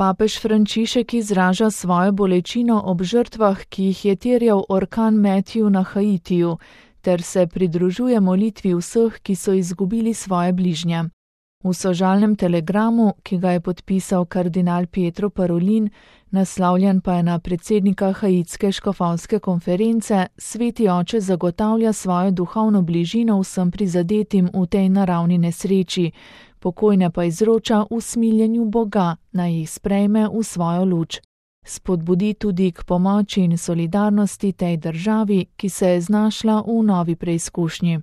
Papež Frančišek izraža svojo bolečino ob žrtvah, ki jih je terjal orkan Matthew na Haitiju, ter se pridružuje molitvi vseh, ki so izgubili svoje bližnje. V sožalnem telegramu, ki ga je podpisal kardinal Pietro Parolin, naslavljen pa je na predsednika haitske škofovske konference, Sveti oče zagotavlja svojo duhovno bližino vsem prizadetim v tej naravni nesreči, pokojne pa izroča v smiljenju Boga, naj jih sprejme v svojo luč. Spodbudi tudi k pomoči in solidarnosti tej državi, ki se je znašla v novi preizkušnji.